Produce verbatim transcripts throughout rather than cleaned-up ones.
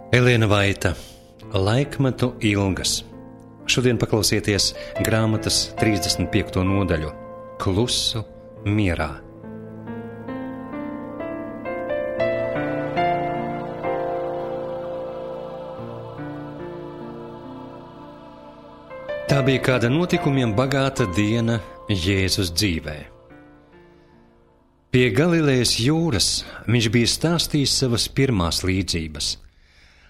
Elēna Vaita, Laikmetu ilgas. Šodien paklausieties grāmatas trīsdesmit piekto nodaļu Klusu mierā. Tā bija kāda notikumiem bagāta diena Jēzus dzīvē. Pie Galilejas jūras viņš bija stāstījis savas pirmās līdzības,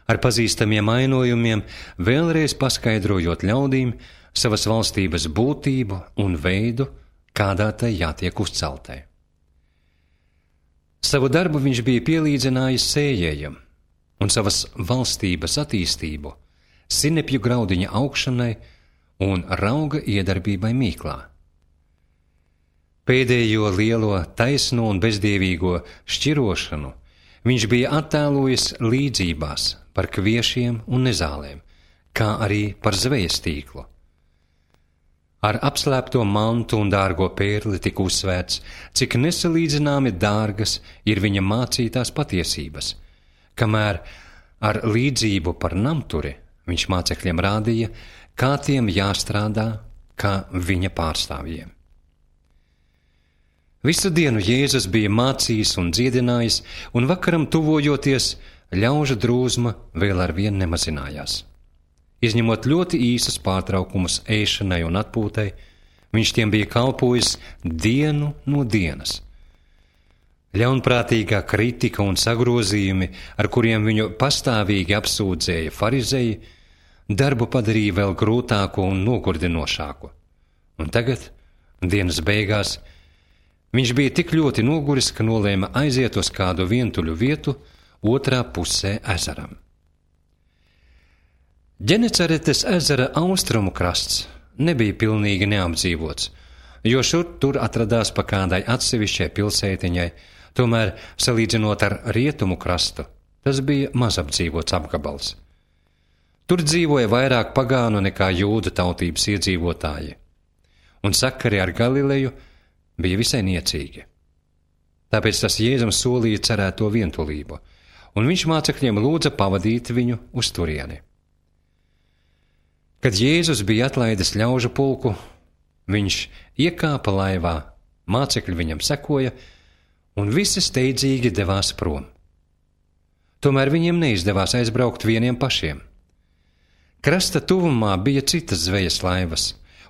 ar pazīstamiem ainojumiem, vēlreiz paskaidrojot ļaudīm savas valstības būtību un veidu, kādā tai jātiek uzceltai. Savu darbu viņš bija pielīdzinājis sējējam un savas valstības attīstību sinepju graudiņa augšanai un rauga iedarbībai mīklā. Pēdējo lielo taisno un bezdievīgo šķirošanu viņš bija attēlojis līdzībās par kviešiem un nezālēm, kā arī par zvejas tīklu. Ar apslēpto mantu un dārgo pērli tika uzsvērts, cik nesalīdzināmi dārgas ir viņa mācītās patiesības, kamēr ar līdzību par namturi viņš mācekļiem rādīja, kā tiem jāstrādā, kā viņa pārstāvjiem. Visu dienu Jēzus bija mācījis un dziedinājis, un vakaram tuvojoties, ļaužu drūzma vēl ar vien nemazinājās. Izņemot ļoti īsus pārtraukumus ēšanai un atpūtai, viņš tiem bija kalpojis dienu no dienas. Ļaunprātīgā kritika un sagrozījumi, ar kuriem viņu pastāvīgi apsūdzēja farizeji, darbu padarīja vēl grūtāku un nogurdinošāku. Un tagad, dienas beigās, viņš bija tik ļoti noguris, ka nolēma aiziet uz kādu vientuļu vietu otrā pusē ezeram. Ģenecaretes ezera austrumu krasts nebija pilnīgi neapdzīvots, jo šur tur atradās pa kādai atsevišķai pilsētiņai, tomēr, salīdzinot ar rietumu krastu, tas bija mazapdzīvots apgabals. Tur dzīvoja vairāk pagānu nekā jūdu tautības iedzīvotāji, un sakari ar Galileju bija visai niecīgi. Tāpēc tas Jēzum solīja cerēto vientulību, un viņš mācekļiem lūdza pavadīt viņu uz turieni. Kad Jēzus bija atlaidis ļaužu pulku, viņš iekāpa laivā, mācekļi viņam sekoja, un visi steidzīgi devās prom. Tomēr viņiem neizdevās aizbraukt vieniem pašiem. Krasta tuvumā bija citas zvejas laivas,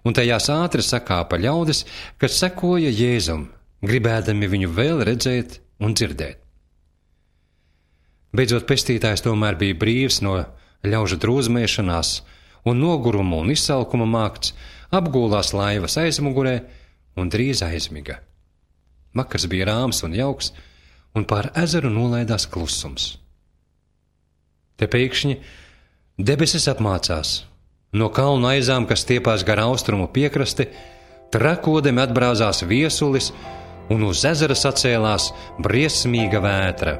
un tajās ātri sakāpa ļaudis, kas sekoja Jēzum, gribēdami viņu vēl redzēt un dzirdēt. Beidzot, pestītājs tomēr bija brīvs no ļaužu drūzmēšanās un noguruma un izsalkuma mākts, apgūlās laivas aizmugurē un drīz aizmiga. Vakars bija rāms un jauks, un pār ezeru nolaidās klusums. Te pēkšņi debesis apmācās. No kalnu aizām, kas stiepās gar austrumu piekrasti, trakodemi atbrāzās viesulis, un uz ezera sacēlās briesmīga vētra.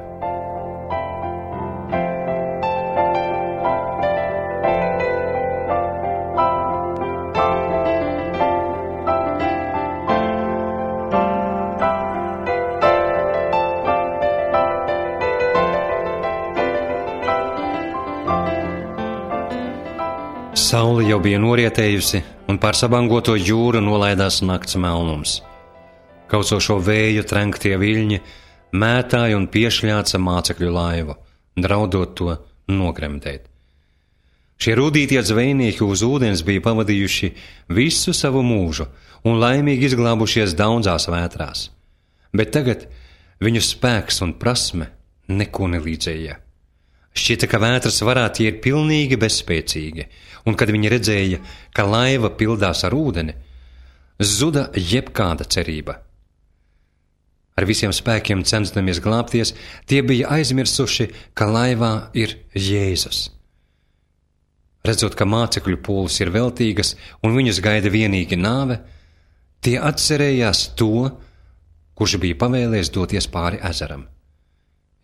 Saule jau bija norietējusi, un pār sabangoto jūru nolaidās nakts melnums. Kaucošo vēju trenktie viļņi mētāja un piešļāca mācekļu laivu, draudot to nogremdēt. Šie rūdītie zvejnieki uz ūdens bija pavadījuši visu savu mūžu un laimīgi izglābušies daudzās vētrās, bet tagad viņu spēks un prasme neko nelīdzēja. Šķita, ka vētras varā tie ir pilnīgi bezspēcīgi, un kad viņi redzēja, ka laiva pildās ar ūdeni, zuda jebkāda cerība. Ar visiem spēkiem censdamies glābties, tie bija aizmirsuši, ka laivā ir Jēzus. Redzot, ka mācekļu pūles ir veltīgas un viņus gaida vienīgi nāve, tie atcerējās to, kurš bija pavēlējis doties pāri ezeram.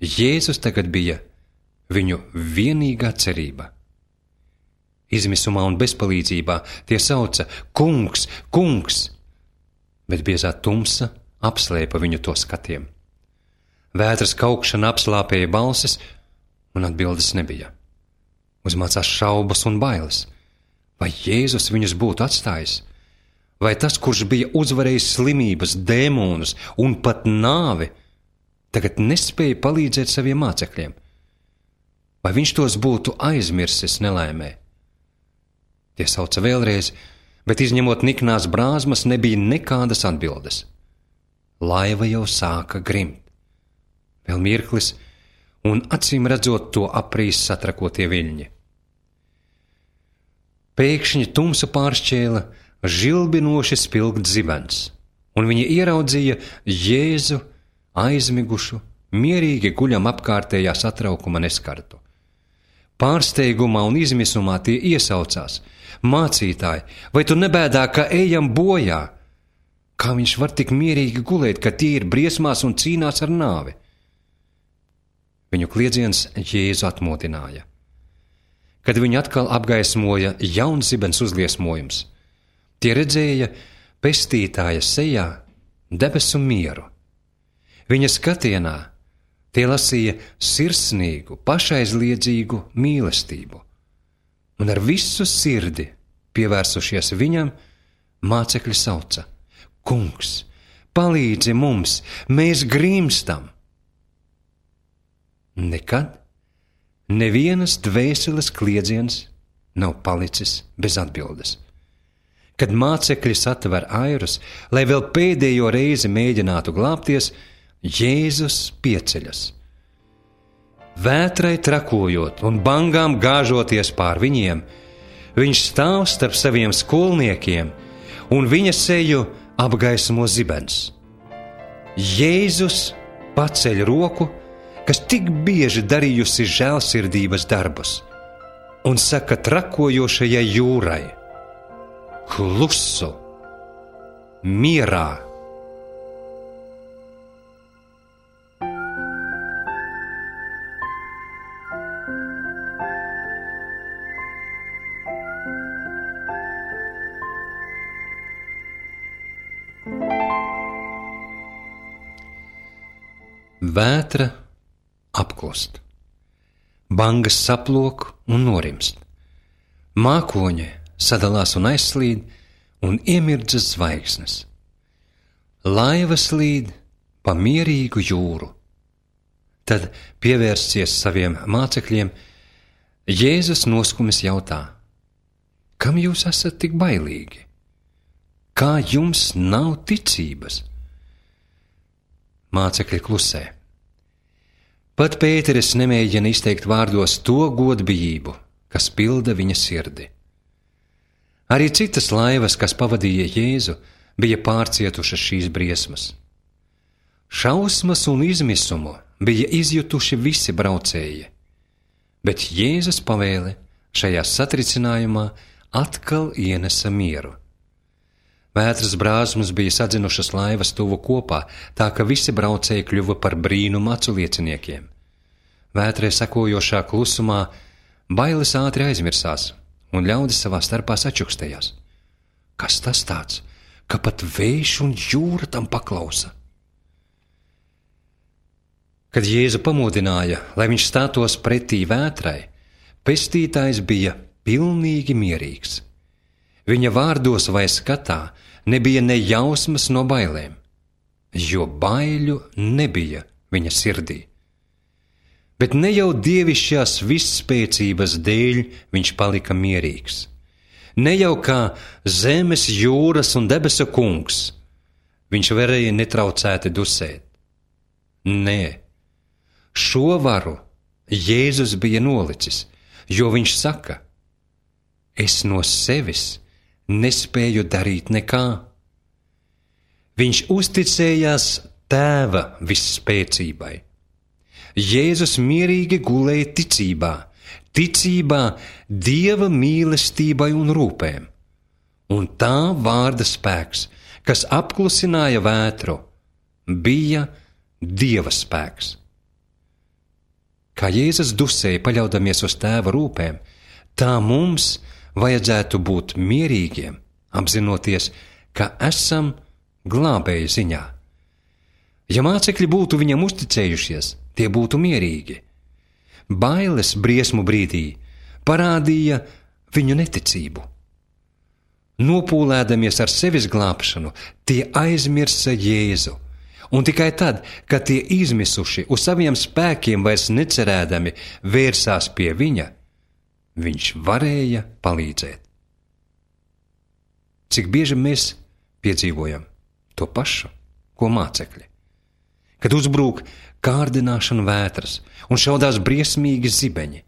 Jēzus tagad bija viņu vienīgā cerība. Izmisumā un bezpalīdzībā tie sauca kungs, kungs, bet biezā tumsa apslēpa viņu to skatiem. Vētras kaukšana apslāpēja balsis, un atbildes nebija. Uzmācās šaubas un bailes. Vai Jēzus viņus būtu atstājis? Vai tas, kurš bija uzvarējis slimības, dēmonus un pat nāvi, tagad nespēja palīdzēt saviem mācekļiem? Vai viņš tos būtu aizmirsis nelaimē? Tie sauca vēlreiz, bet izņemot niknās brāzmas, nebija nekādas atbildes. Laiva jau sāka grimt. Vēl mirklis, un acīm redzot to aprīs satrakotie viļņi. Pēkšņi tumsu pāršķēla žilbinoši spilgt zibens, un viņi ieraudzīja Jēzu aizmigušu, mierīgi guļam apkārtējā satraukuma neskartu. Pārsteigumā un izmisumā tie iesaucās: Mācītāji, vai tu nebēdā, ka ejam bojā? Kā viņš var tik mierīgi gulēt, ka tie ir briesmās un cīnās ar nāvi? Viņu kliedziens Jēzu atmodināja. Kad viņu atkal apgaismoja jauns zibens uzliesmojums, tie redzēja pestītāja sejā debesu mieru. Viņa skatienā tie lasīja sirsnīgu, pašaizliedzīgu mīlestību, un ar visu sirdi pievērsušies viņam, mācekļi sauca: Kungs, palīdzi mums, mēs grimstam! Nekad nevienas dvēseles kliedziens nav palicis bez atbildes. Kad mācekļi satver airus, lai vēl pēdējo reizi mēģinātu glābties, Jēzus pieceļas. Vētrai trakojot un bangām gāžoties pār viņiem, viņš stāv starp saviem skolniekiem, un viņa seju apgaismo zibens. Jēzus paceļ roku, kas tik bieži darījusi žēlsirdības darbus, un saka trakojošajai jūrai: Klusu, mierā! Vētra apklust, bangas saplok un norimst, mākoņi sadalās un aizslīd, un iemirdzas zvaigznes. Laiva slīd pa mierīgu jūru. Tad, pievērsies saviem mācekļiem, Jēzus noskumis jautā: Kam jūs esat tik bailīgi? Kā jums nav ticības? Mācekļi klusē. Pat Pēteris nemēģina izteikt vārdos to godbijību, kas pilda viņa sirdi. Arī citas laivas, kas pavadīja Jēzu, bija pārcietušas šīs briesmas. Šausmas un izmisumu bija izjutuši visi braucēji, bet Jēzus pavēle šajā satricinājumā atkal ienesa mieru. Vētras brāzmas bija sadzinušas laivas tuvu kopā, tā ka visi braucēji kļuva par brīnumu acu lieciniekiem. Vētrai sekojošā klusumā bailes ātri aizmirsās, un ļaudis savā starpā sačukstējās. Kas tas tāds, ka pat vējš un jūra tam paklausa? Kad Jēzu pamodināja, lai viņš stātos pretī vētrai, pestītājs bija pilnīgi mierīgs. Viņa vārdos vai skatā nebija ne jausmas no bailēm, jo baiļu nebija viņa sirdī. Bet ne jau dievišķās visspēcības dēļ viņš palika mierīgs. Ne jau kā zemes, jūras un debesu kungs viņš varēja netraucēti dusēt. Nē, šo varu Jēzus bija nolicis, jo viņš saka: Es no sevis nespēju darīt nekā. Viņš uzticējās Tēva visspēcībai. Jēzus mierīgi gulēja ticībā, ticībā Dieva mīlestībai un rūpēm, un tā vārda spēks, kas apklusināja vētru, bija Dieva spēks. Kā Jēzus dusēja paļaudamies uz Tēva rūpēm, tā mums vajadzētu būt mierīgiem, apzinoties, ka esam glābēja ziņā. Ja mācekļi būtu viņam uzticējušies, tie būtu mierīgi. Bailes briesmu brīdī parādīja viņu neticību. Nopūlēdamies ar sevis glābšanu, tie aizmirsa Jēzu, un tikai tad, kad tie izmisuši uz saviem spēkiem vairs necerēdami vērsās pie viņa, viņš varēja palīdzēt. Cik bieži mēs piedzīvojam to pašu, ko mācekļi? Kad uzbrūk kārdināšana vētras un šaudās briesmīgi zibeņi,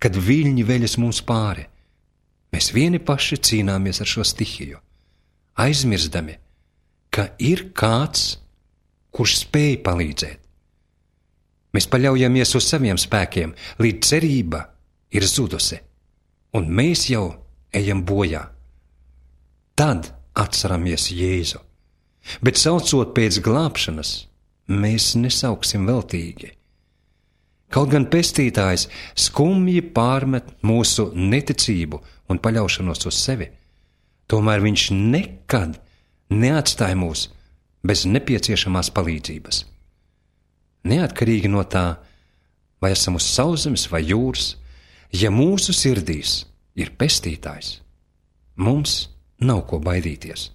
kad viļņi veļas mums pāri, mēs vieni paši cīnāmies ar šo stihiju, aizmirstami, ka ir kāds, kurš spēj palīdzēt. Mēs paļaujamies uz saviem spēkiem, līdz cerība ir zudusi, un mēs jau ejam bojā. Tad atceramies Jēzu, bet saucot pēc glābšanas, mēs nesauksim veltīgi. Kaut gan pestītājs skumji pārmet mūsu neticību un paļaušanos uz sevi, tomēr viņš nekad neatstāja mūs bez nepieciešamās palīdzības. Neatkarīgi no tā, vai esam uz sauszemes vai jūras, ja mūsu sirdīs ir pestītājs, mums nav ko baidīties.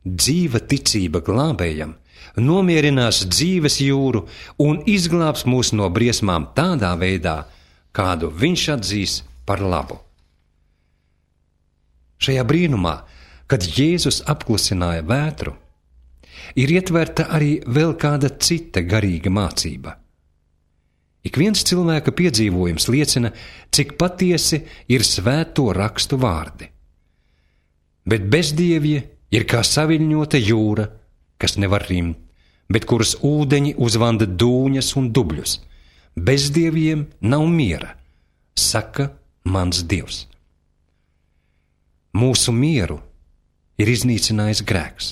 Dzīva ticība glābējam nomierinās dzīves jūru un izglābs mūs no briesmām tādā veidā, kādu viņš atzīs par labu. Šajā brīnumā, kad Jēzus apklusināja vētru, ir ietverta arī vēl kāda cita garīga mācība. Ik viens cilvēka piedzīvojums liecina, cik patiesi ir svēto rakstu vārdi. Bet bezdievie ir kā saviļņota jūra, kas nevar rimt, bet kuras ūdeņi uzvanda dūņas un dubļus. Bezdieviem nav miera, saka mans Dievs. Mūsu mieru ir iznīcinājis grēks.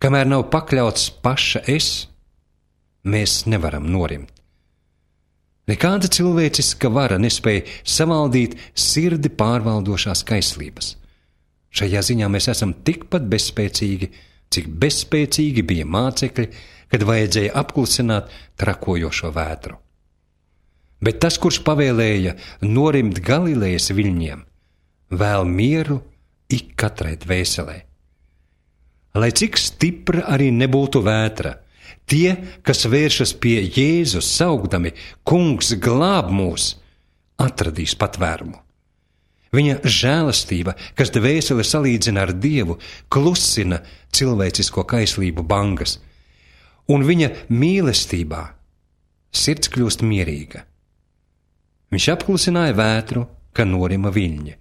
Kamēr nav pakļauts paša es, mēs nevaram norimt. Nekāda cilvēciska vara nespēja savaldīt sirdi pārvaldošās kaislības. Šajā ziņā mēs esam tikpat bezspēcīgi, cik bezspēcīgi bija mācekļi, kad vajadzēja apklusināt trakojošo vētru. Bet tas, kurš pavēlēja norimt Galilejas viļņiem, vēl mieru ik katrai dvēselē. Lai cik stipra arī nebūtu vētra, tie, kas vēršas pie Jēzus saukdami, kungs glāb mūs, atradīs patvērumu. Viņa žēlastība, kas dvēseli salīdzina ar Dievu, klusina cilvēcisko kaislību bangas, un viņa mīlestībā sirds kļūst mierīga. Viņš apklusināja vētru, ka norima viļņi.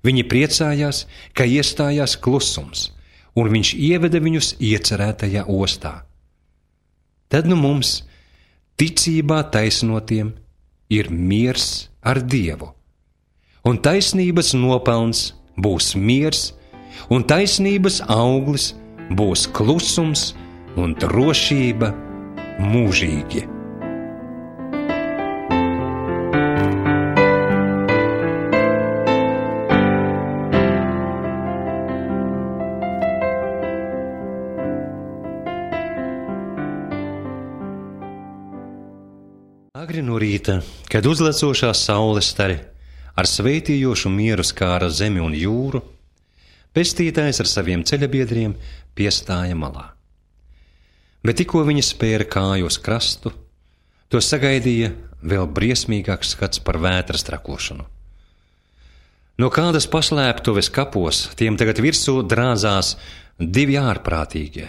Viņi priecājās, ka iestājās klusums, un viņš ieveda viņus iecerētajā ostā. Tad nu mums, ticībā taisnotiem, ir miers ar Dievu. Un taisnības nopelns būs miers, un taisnības auglis būs klusums un drošība mūžīgi. Agri no rīta, kad uzlecošā saules stari ar sveitījošu mieru skāra zemi un jūru, pestītājs ar saviem ceļabiedriem piestāja malā. Bet tikko viņi spēra kāju uz krastu, to sagaidīja vēl briesmīgāks skats par vētras trakošanu. No kādas paslēptuves kapos tiem tagad virsū drāzās divi ārprātīgie,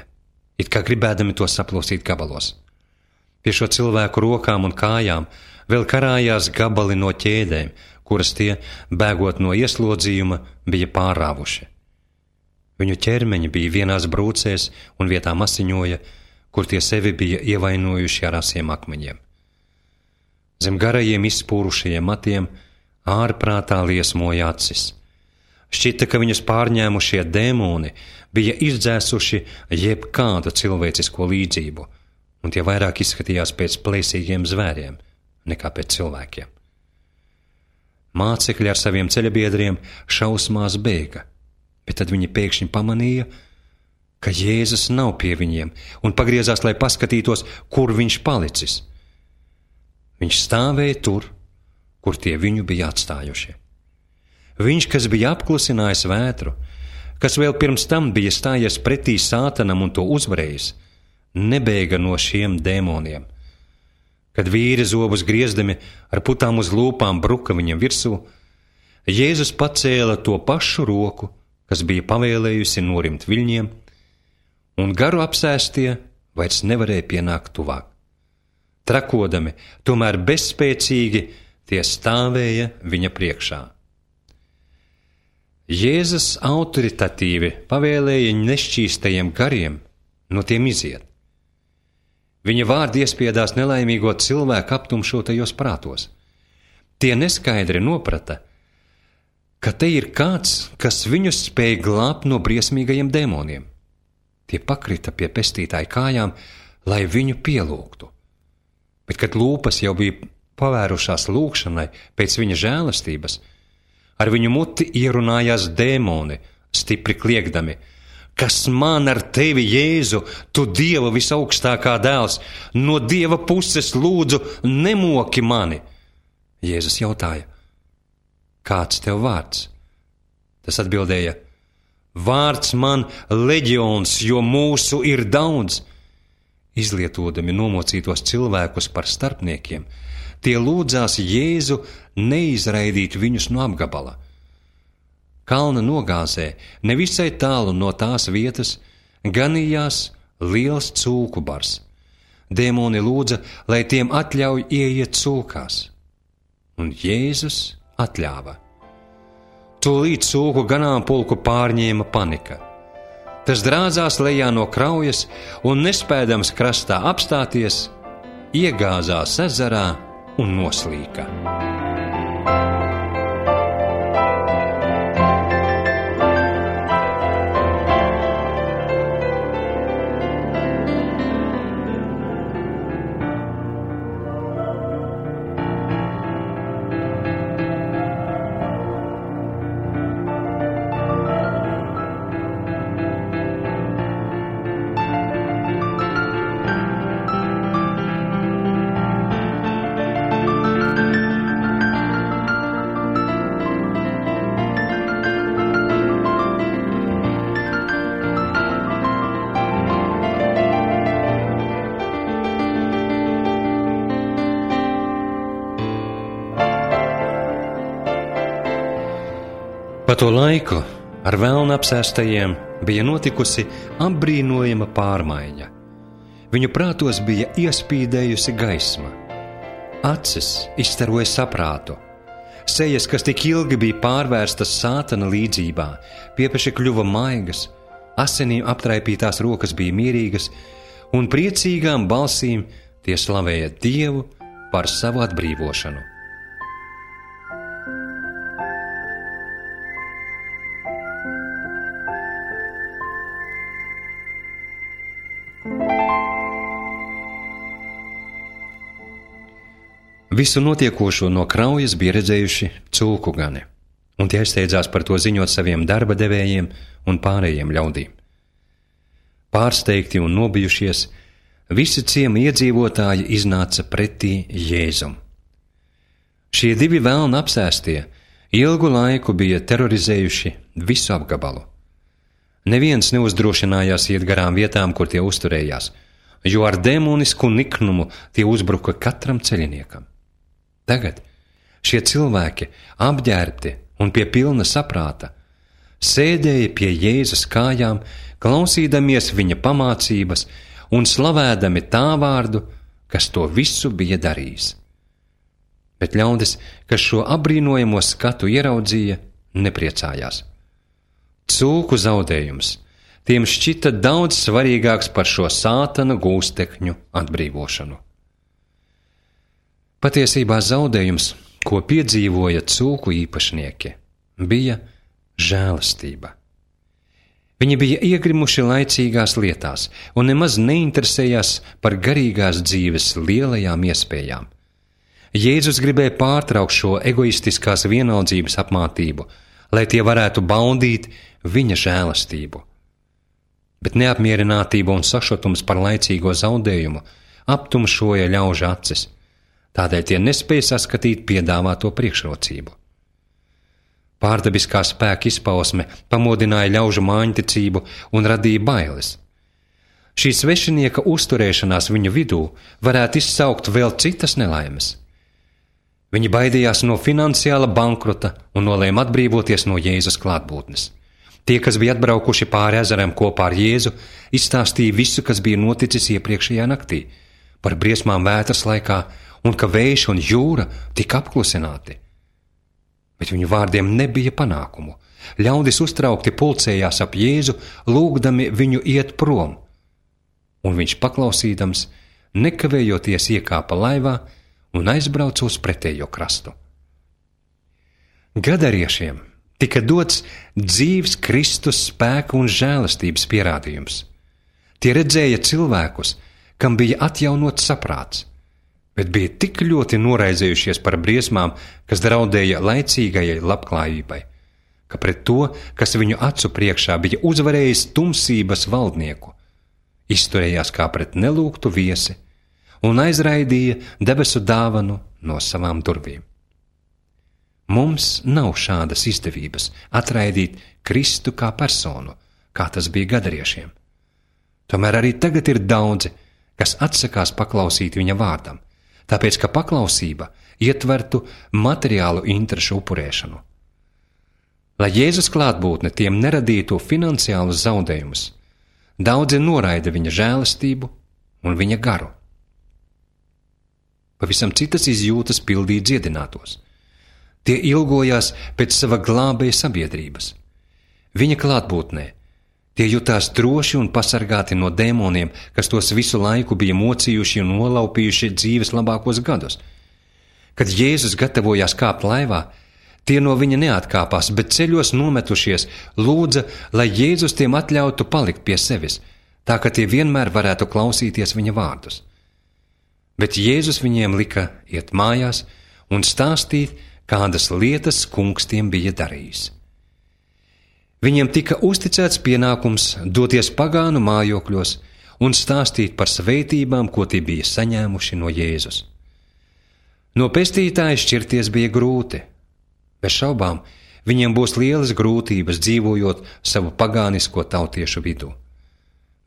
it kā gribēdami to saplosīt gabalos. Pie šo cilvēku rokām un kājām vēl karājās gabali no ķēdēm, kuras tie, bēgot no ieslodzījuma, bija pārāvuši. Viņu ķermeņi bija vienās brūcēs un vietām asiņoja, kur tie sevi bija ievainojuši ar asiem akmeņiem. Zem garajiem izspūrušajiem matiem ārprātā liesmoja acis. Šķita, ka viņus pārņēmušie dēmoni bija izdzēsuši jebkādu cilvēcisko līdzību, un tie vairāk izskatījās pēc plēsīgiem zvēriem nekā pēc cilvēkiem. Mācekļi ar saviem ceļabiedriem šausmās bēga, bet tad viņi pēkšņi pamanīja, ka Jēzus nav pie viņiem, un pagriezās, lai paskatītos, kur viņš palicis. Viņš stāvēja tur, kur tie viņu bija atstājuši. Viņš, kas bija apklusinājis vētru, kas vēl pirms tam bija stājies pretī Sātanam un to uzvarējis, nebēga no šiem dēmoniem. Kad vīri zobus griezdami ar putām uz lūpām bruka viņam virsū, Jēzus pacēla to pašu roku, kas bija pavēlējusi norimt viļņiem, un garu apsēstie vairs nevarēja pienākt tuvāk. Trakodami, tomēr bezspēcīgi, tie stāvēja viņa priekšā. Jēzus autoritatīvi pavēlēja nešķīstajiem gariem no tiem iziet. Viņa vārdi iespiedās nelaimīgo cilvēku aptumšotajos prātos. Tie neskaidri noprata, ka te ir kāds, kas viņus spēj glābt no briesmīgajiem dēmoniem. Tie pakrita pie pestītāja kājām, lai viņu pielūgtu. Bet, kad lūpas jau bija pavērušās lūgšanai pēc viņa žēlastības, ar viņu muti ierunājās dēmoni, stipri kliegdami: Kas man ar tevi, Jēzu, tu Dieva visaugstākā dēls, no Dieva puses lūdzu nemoki mani? Jēzus jautāja: Kāds tev vārds? Tas atbildēja: Vārds man leģions, jo mūsu ir daudz. Izlietodami nomocītos cilvēkus par starpniekiem, tie lūdzās Jēzu neizraidīt viņus no apgabala. Kalna nogāzē, nevisai tālu no tās vietas, ganījās liels cūku bars. Dēmoni lūdza, lai tiem atļauj ieiet cūkās. Un Jēzus atļāva. Tūlīt cūku ganāmpulku pārņēma panika. Tas drāzās lejā no kraujas un, nespēdams krastā apstāties, iegāzās ezerā un noslīka. Pa to laiku ar velnu apsēstajiem bija notikusi apbrīnojama pārmaiņa. Viņu prātos bija iespīdējusi gaisma. Acis izstaroja saprātu. Sejas, kas tik ilgi bija pārvērstas Sātana līdzībā, piepeši kļuva maigas, asinīm aptraipītās rokas bija mierīgas, un priecīgām balsīm tie slavēja Dievu par savu atbrīvošanu. Visu notiekošo no kraujas bija redzējuši cūku gani, un tie aizsteidzās par to ziņot saviem darba devējiem un pārējiem ļaudīm. Pārsteigti un nobijušies, visi ciema iedzīvotāji iznāca pretī Jēzum. Šie divi velni apsēstie ilgu laiku bija terorizējuši visu apgabalu. Neviens neuzdrošinājās iet garām vietām, kur tie uzturējās, jo ar demonisku niknumu tie uzbruka katram ceļiniekam. Tagad šie cilvēki, apģērbti un pie pilna saprāta, sēdēja pie Jēzus kājām, klausīdamies viņa pamācības un slavēdami tā vārdu, kas to visu bija darījis. Bet ļaudis, kas šo apbrīnojamo skatu ieraudzīja, nepriecājās. Cūku zaudējums tiem šķita daudz svarīgāks par šo Sātana gūstekņu atbrīvošanu. Patiesībā zaudējums, ko piedzīvoja cūku īpašnieki, bija žēlastība. Viņi bija iegrimuši laicīgās lietās un nemaz neinteresējās par garīgās dzīves lielajām iespējām. Jēzus gribēja pārtraukt šo egoistiskās vienaldzības apmātību, lai tie varētu baudīt viņa žēlastību. Bet neapmierinātība un sašutums par laicīgo zaudējumu aptumšoja ļaužu acis. tādēļ tie nespēja saskatīt piedāvāto priekšrocību. Pārdabiskā spēka izpausme pamodināja ļaužu māņticību un radīja bailes. Šī svešinieka uzturēšanās viņu vidū varētu izsaukt vēl citas nelaimes. Viņi baidījās no finansiāla bankrota un nolēma atbrīvoties no Jēzus klātbūtnes. Tie, kas bija atbraukuši pāri ezeram kopā ar Jēzu, izstāstīja visu, kas bija noticis iepriekšējā naktī, par briesmām vētras laikā un ka vējš un jūra tika apklusināti. Bet viņu vārdiem nebija panākumu. Ļaudis uztraukti pulcējās ap Jēzu, lūgdami viņu iet prom, un viņš paklausīdams, nekavējoties iekāpa laivā un aizbrauca uz pretējo krastu. Gadariešiem tika dots dzīves Kristus spēka un žēlastības pierādījums. Tie redzēja cilvēkus, kam bija atjaunots saprāts, bet bija tik ļoti noraizējušies par briesmām, kas draudēja laicīgajai labklājībai, ka pret to, kas viņu acu priekšā bija uzvarējis tumsības valdnieku, izturējās kā pret nelūgtu viesi un aizraidīja debesu dāvanu no savām durvīm. Mums nav šādas izdevības atraidīt Kristu kā personu, kā tas bija gadariešiem. Tomēr arī tagad ir daudzi, kas atsakās paklausīt viņa vārdam, tāpēc, ka paklausība ietvertu materiālu interešu upurēšanu. Lai Jēzus klātbūtne tiem neradītu finansiālus zaudējumus, daudzi noraida viņa žēlastību un viņa garu. Pavisam citas izjūtas pildīja dziedinātos. Tie ilgojās pēc sava glābēja sabiedrības. Viņa klātbūtnē tie jutās droši un pasargāti no dēmoniem, kas tos visu laiku bija mocījuši un nolaupījuši dzīves labākos gadus. Kad Jēzus gatavojās kāpt laivā, tie no viņa neatkāpās, bet ceļos nometušies lūdza, lai Jēzus tiem atļautu palikt pie sevis, tā ka tie vienmēr varētu klausīties viņa vārdus. Bet Jēzus viņiem lika iet mājās un stāstīt, kādas lietas kungs tiem bija darījis. Viņiem tika uzticēts pienākums doties pagānu mājokļos un stāstīt par svētībām, ko tie bija saņēmuši no Jēzus. No pestītāja šķirties bija grūti. Bez šaubām, viņiem būs lielas grūtības dzīvojot savu pagānisko tautiešu vidū.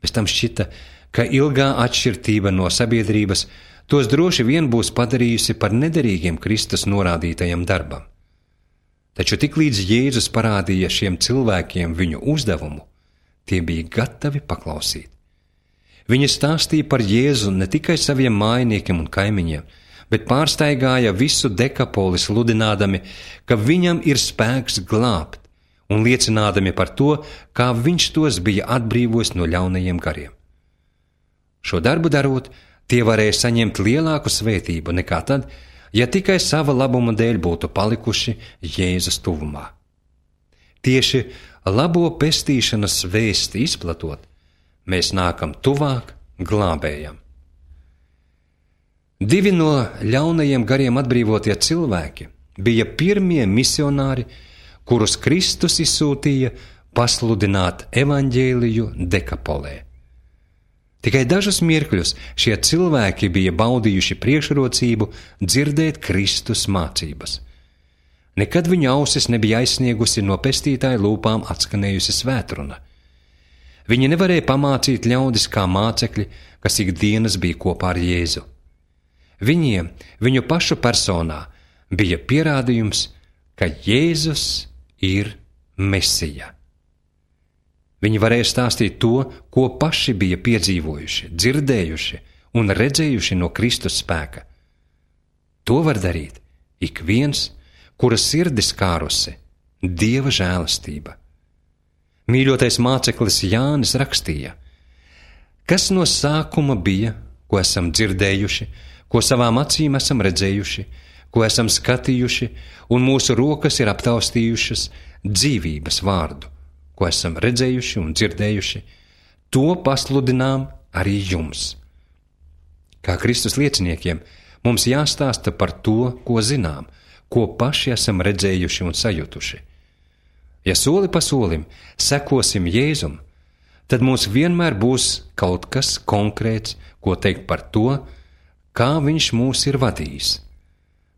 Bez tam šķita, ka ilgā atšķirtība no sabiedrības tos droši vien būs padarījusi par nederīgiem Kristus norādītajam darbam. Taču tiklīdz Jēzus parādīja šiem cilvēkiem viņu uzdevumu, tie bija gatavi paklausīt. Viņi stāstīja par Jēzu ne tikai saviem mājiniekiem un kaimiņiem, bet pārstaigāja visu Dekapoli sludinādami, ka viņam ir spēks glābt, un liecinādami par to, kā viņš tos bija atbrīvojis no ļaunajiem gariem. Šo darbu darot, tie varēja saņemt lielāku svētību nekā tad, ja tikai sava labuma dēļ būtu palikuši Jēzus tuvumā. Tieši labo pestīšanas vēsti izplatot, mēs nākam tuvāk glābējam. Divi no ļaunajiem gariem atbrīvotie cilvēki bija pirmie misionāri, kurus Kristus izsūtīja pasludināt evaņģēliju Dekapolē. Tikai dažus mirkļus šie cilvēki bija baudījuši priekšrocību dzirdēt Kristus mācības. Nekad viņu ausis nebija aizsniegusi no pestītāja lūpām atskanējusi svētruna. Viņi nevarēja pamācīt ļaudis kā mācekļi, kas ikdienas bija kopā ar Jēzu. Viņiem, viņu pašu personā, bija pierādījums, ka Jēzus ir Mesija. Viņi varēja stāstīt to, ko paši bija piedzīvojuši, dzirdējuši un redzējuši no Kristus spēka. To var darīt ik viens, kura sirdis kārusi Dieva žēlastība. Mīļotais māceklis Jānis rakstīja: kas no sākuma bija, ko esam dzirdējuši, ko savām acīm esam redzējuši, ko esam skatījuši, un mūsu rokas ir aptaustījušas dzīvības vārdu, ko esam redzējuši un dzirdējuši, to pasludinām arī jums. Kā Kristus lieciniekiem, mums jāstāsta par to, ko zinām, ko paši esam redzējuši un sajutuši. Ja soli pa solim sekosim Jēzum, tad mums vienmēr būs kaut kas konkrēts, ko teikt par to, kā viņš mūs ir vadījis.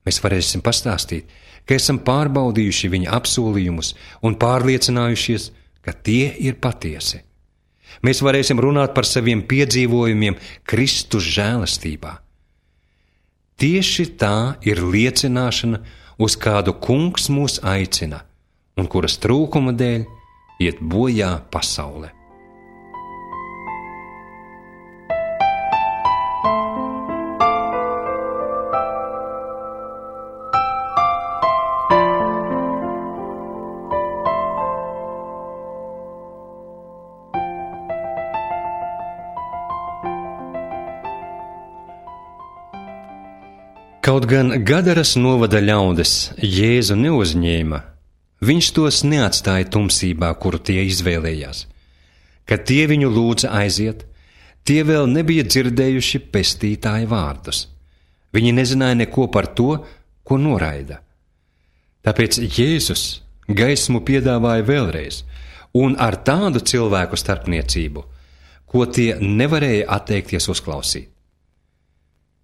Mēs varēsim pastāstīt, ka esam pārbaudījuši viņa apsolījumus un pārliecinājušies, ka tie ir patiesi. Mēs varēsim runāt par saviem piedzīvojumiem Kristus žēlastībā. Tieši tā ir liecināšana, uz kādu kungs mūs aicina, un kuras trūkuma dēļ iet bojā pasaule. Kaut gan Gadaras novada ļaudis Jēzu neuzņēma, viņš tos neatstāja tumsībā, kuru tie izvēlējās. Kad tie viņu lūdza aiziet, tie vēl nebija dzirdējuši pestītāja vārdus. Viņi nezināja neko par to, ko noraida. Tāpēc Jēzus gaismu piedāvāja vēlreiz, un ar tādu cilvēku starpniecību, ko tie nevarēja atteikties uzklausīt.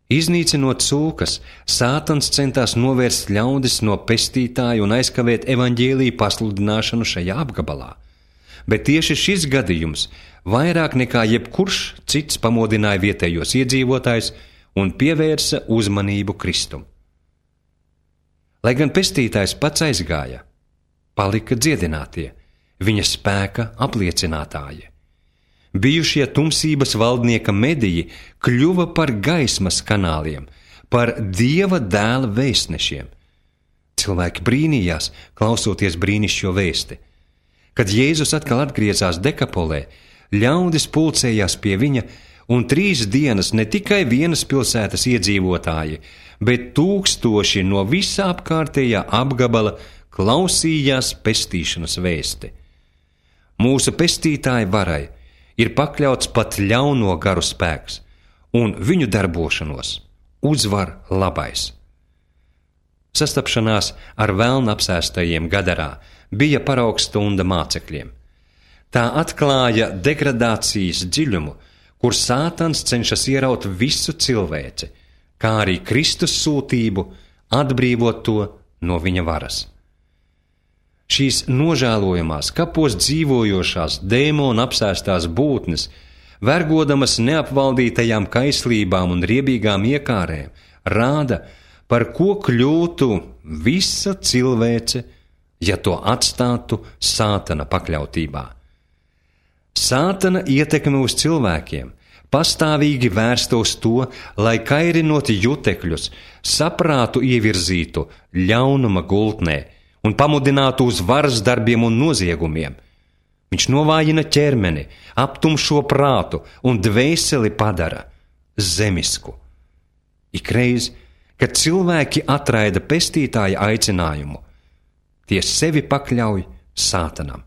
Iznīcinot cūkas, Sātans centās novērst ļaudis no pestītāja un aizkavēt evaņģēliju pasludināšanu šajā apgabalā. Bet tieši šis gadījums vairāk nekā jebkurš cits pamodināja vietējos iedzīvotājus un pievērsa uzmanību Kristum. Lai gan pestītājs pats aizgāja, palika dziedinātie, viņa spēka apliecinātāji. Bijušie tumsības valdnieka mediji kļuva par gaismas kanāliem, par Dieva dēla vēstnešiem. Cilvēki brīnījās, klausoties brīnišķo vēsti. Kad Jēzus atkal atgriezās Dekapolē, ļaudis pulcējās pie viņa, un trīs dienas ne tikai vienas pilsētas iedzīvotāji, bet tūkstoši no visā apkārtējā apgabala klausījās pestīšanas vēsti. Mūsu pestītāja varai ir pakļauts pat ļauno garu spēks, un viņu darbošanos uzvar labais. Sastapšanās ar velna apsēstajiem Gadarā bija paraugstunda mācekļiem. Tā atklāja degradācijas dziļumu, kur Sātans cenšas ieraut visu cilvēci, kā arī Kristus sūtību atbrīvot to no viņa varas. Šīs nožēlojamās, kapos dzīvojošās, dēmona apsēstās būtnes, vergodamas neapvaldītajām kaislībām un riebīgām iekārēm, rāda, par ko kļūtu visa cilvēce, ja to atstātu Sātana pakļautībā. Sātana ietekme uz cilvēkiem pastāvīgi vērsta uz to, lai kairinot jutekļus, saprātu ievirzītu ļaunuma gultnē un pamudinātu uz varas darbiem un noziegumiem. Viņš novājina ķermeni, aptumšo prātu un dvēseli padara zemisku. Ikreiz, kad cilvēki atraida pestītāja aicinājumu, tie sevi pakļauj Sātanam.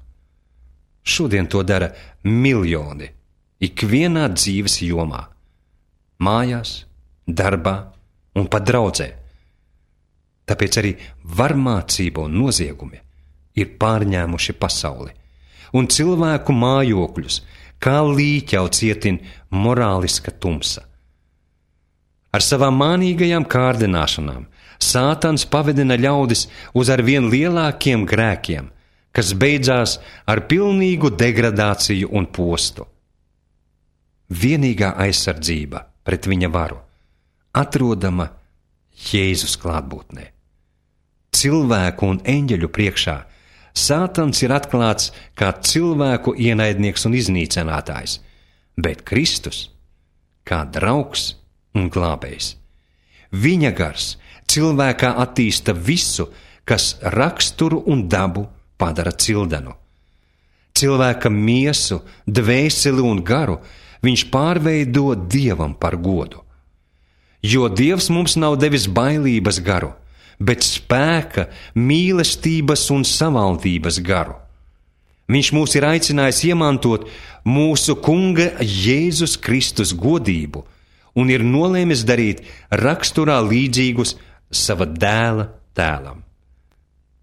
Šodien to dara miljoni, ikvienā dzīves jomā, mājās, darbā un pat draudzē. Tāpēc arī varmācība un noziegumi ir pārņēmuši pasauli, un cilvēku mājokļus kā līķau cietin morāliska tumsa. Ar savām mānīgajām kārdināšanām Sātans pavedina ļaudis uz arvien lielākiem grēkiem, kas beidzās ar pilnīgu degradāciju un postu. Vienīgā aizsardzība pret viņa varu atrodama Jēzus klātbūtnē. Cilvēku un eņģeļu priekšā Sātans ir atklāts kā cilvēku ienaidnieks un iznīcinātājs, bet Kristus kā draugs un glābējs. Viņa gars cilvēkā attīsta visu, kas raksturu un dabu padara cildenu. Cilvēka miesu, dvēseli un garu viņš pārveido Dievam par godu. Jo Dievs mums nav devis bailības garu, bet spēka, mīlestības un savaldības garu. Viņš mūs ir aicinājis iemantot mūsu Kunga Jēzus Kristus godību un ir nolēmis darīt raksturā līdzīgus sava dēla tēlam.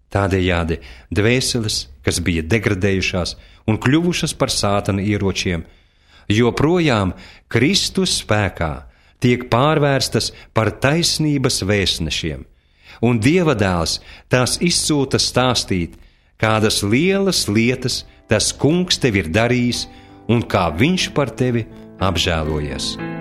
Tādējādi dvēseles, kas bija degradējušās un kļuvušas par Sātana ieročiem, joprojām Kristus spēkā tiek pārvērstas par taisnības vēstnešiem, un Dieva dēls tās izsūta stāstīt, kādas lielas lietas tas kungs tev ir darījis un kā viņš par tevi apžēlojies.